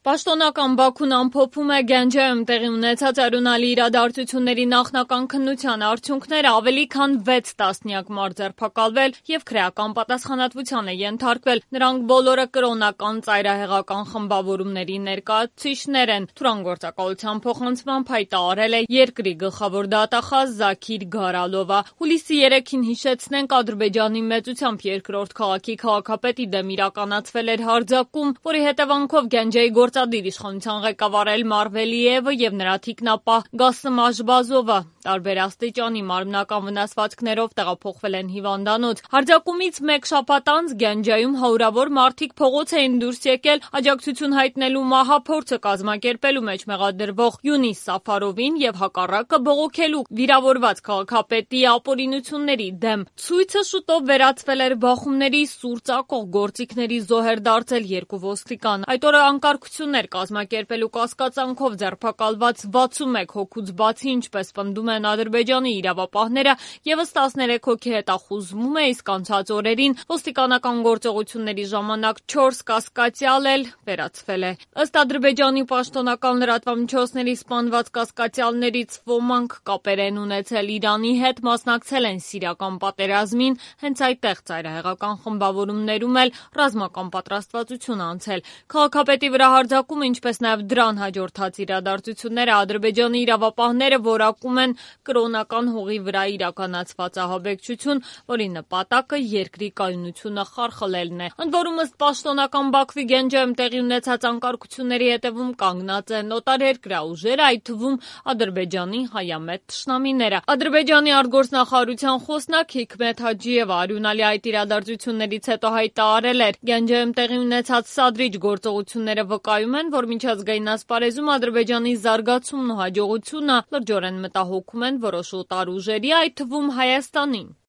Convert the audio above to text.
Պաշտոնական Բաքուն ամփոփում է Գանջայում տեղի ունեցած արյունալի իրադարձությունների նախնական քննության արդյունքները, ավելի քան 6 տասնյակ մարդ ձերբակալվել եւ քրեական պատասխանատվության է ենթարկվել։ Նրանք բոլորը կրոնական ծայրահեղական խմբավորումների ներկայացուցիչներ են։ Թուրան գործակալության փոխանցմամբ հայտարարել է երկրի գլխավոր դատախազ Զաքիր Գարալովը։ Հուլիսի 3-ին հիշեցնենք, Ադրբեջանի մեծությամբ երկրորդ քաղաքի քաղաքապետի դեմ իրականացվել էր հարձակում, որի հետևանքով Գանջայի գործադիր իշխանության ղեկավար Էլմար Վելիևը եւ նրա թիկնապահ Գասım Աժբազովը տարբեր աստիճանի մարմնական վնասվածքներով տեղափոխվել են հիվանդանոց։ Հարձակումից մեկ շաբաթ անց Գանջայում հարյուրավոր մարդիկ փողոց էին դուրս եկել աջակցություն հայտնելու մահափորձը կազմակերպելու մեջ մեղադրվող Յունիս Սաֆարովին եւ հակառակը բողոքելու վիրավորված քաղաքապետի ապօրինությունների դեմ։ Ցույցը շուտով վերածվել էր բախումների, սուր ծակող գործիքների զոհեր դարձել երկու ոստիկան։ Այդ օրը անկարգություններ կազմակերպելու կասկածանքով ձերբակալված 61 հոգուց բացի, ինչպես պնդում են Ադրբեջանի իրավապահները, եւս 13 հոգի հետախուզվում է, իսկ անցած օրերին ոստիկանական գործողությունների ժամանակ 4 կասկածյալ էլ վերացվել է։ Ըստ Ադրբեջանի պաշտոնական լրատվամիջոցների սպանված կասկածյալներից ոմանք կապեր են ունեցել Իրանի հետ, մասնակցել են սիրիական պատերազմին, հենց այդտեղ ծայրահեղական խմբավորումներում էլ ռազմական պատրաստվածություն անցել։ Քաղաքապետի վրա հարձակումը, ինչպես նաև դրան հաջորդած իրադարձությունները Ադրբեջանի իրավապահները որակում են կրոնական հողի վրա իրականացված ահաբեկչություն, որի նպատակը երկրի կայունությունը խարխլելն է։ Ընդ որում, ըստ պաշտոնական Բաքվի Գանջայում տեղի ունեցած անկարգությունների հետևում կանգնած են օտարերկրյա ուժերը, այդ թվում Ադրբեջանի հայամետ թշնամիները։ Ադրբեջանի արտգործնախարարության խոսնակ Հիքմեթ Հաջիևը արյունալի այդ իրադարձություններից հետո հայտարարել էր. Գանջայում տեղի ունեցած սադրիչ գործողությունները վկայում են, որ միջազգային ասպարեզում Ադրբեջանի զարգացումն ու հաջողությունը լրջորեն մտահոգում են որոշ օտար ուժերի, այդ թվում Հայաստանին։